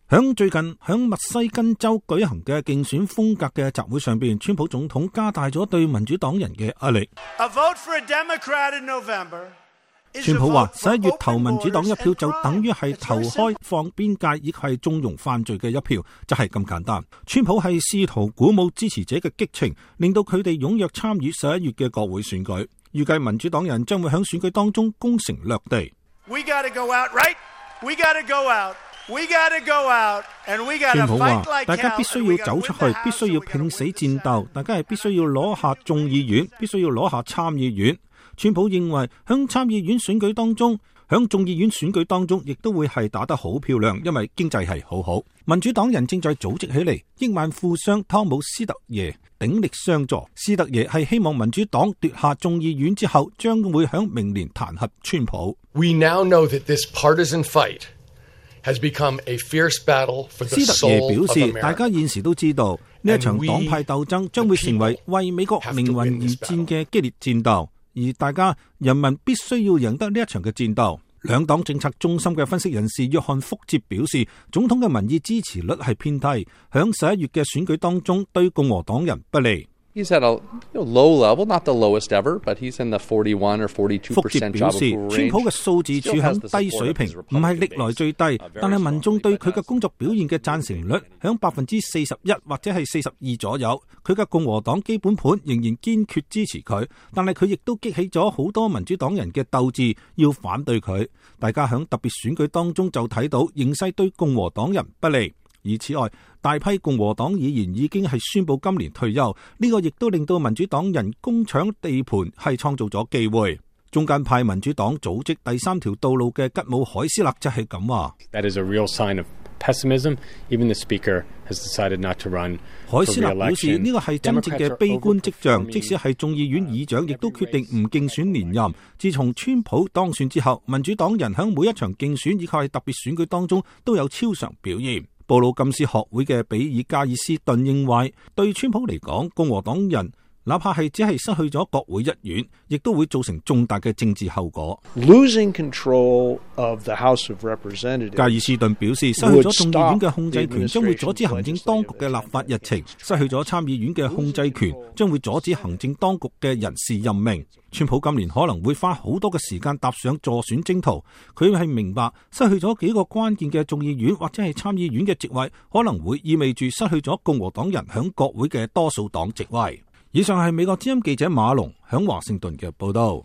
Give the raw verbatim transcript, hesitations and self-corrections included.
響最近響密西根州舉行嘅競選風格嘅集會上邊，川普總統加大咗對民主黨人嘅壓力。A vote for a Democrat in November 川普話十一月投民主黨一票就等於係投開放邊界，亦係縱容犯罪嘅一票，就係咁簡單。川普係試圖鼓舞支持者嘅激情，令到佢哋踴躍參與十一月嘅國會選舉。預計民主黨人將會響選舉當中攻城略地。We gotta go out, right? We gotta go out. We gotta go out, and we gotta fight like hell. 大家必須要走出去，必須要拼死戰鬥。大家係必須要攞下眾議院，必須要攞下參議院。川普認為響參議院選舉當中，響眾議院選舉當中，亦都會係打得好漂亮，因為經濟係好好。民主黨人正在組織起嚟，億萬富商湯姆斯特耶鼎力相助。斯特耶係希望民主黨奪下眾議院之後，將會響明年彈劾川普。We now know that this partisan fight has become a fierce battle for the soul of America. 斯特耶表示，大家現時都知道呢一場黨派鬥爭將會成為為美國靈魂而戰嘅激烈戰鬥，而大家人民必須要贏得呢一場嘅戰鬥。兩黨政策中心嘅分析人士約翰福捷表示，總統嘅民意支持率係偏低，響十一月嘅選舉當中對共和黨人不利。He's at a low level, not the lowest ever, but he's in the forty-one or forty-two percent job approval range. 福捷表示，川普嘅數字處響低水平，唔係歷來最低，但係民眾對佢嘅工作表現嘅贊成率響百分之四十一或者係四十二左右。佢嘅共和黨基本盤仍然堅決支持佢，但係佢亦都激起咗好多民主黨人嘅鬥志，要反對佢。大家響特別選舉當中就睇到形勢對共和黨人不利。而此外，大批共和黨議員已經係宣布今年退休，呢、這個亦都令到民主黨人攻搶地盤係創造咗機會。中間派民主黨組織第三條道路嘅吉姆海斯勒就係咁話。That is a real sign of pessimism. Even the speaker has decided not to run. 海斯勒表示呢個係真正嘅悲觀跡象，即使係眾議院議長亦都決定唔競選連任。自從川普當選之後，民主黨人喺每一場競選以及係特別選舉當中都有超常表現。布魯金斯學會嘅比爾加爾斯頓認為，對川普嚟講，共和黨人哪怕係只係失去咗國會一院，亦都會造成重大嘅政治後果。Losing control of the House of Representatives，加爾斯頓表示，失去咗眾議院嘅控制權，將會阻止行政當局嘅立法日程；失去咗參議院嘅控制權，將會阻止行政當局嘅人事任命。川普今年可能會花好多嘅時間踏上助選征途，佢係明白失去咗幾個關鍵嘅眾議院或者係參議院嘅席位，可能會意味住失去咗共和黨人響國會嘅多數黨席位。以上係美國之音記者馬龍響華盛頓嘅報道。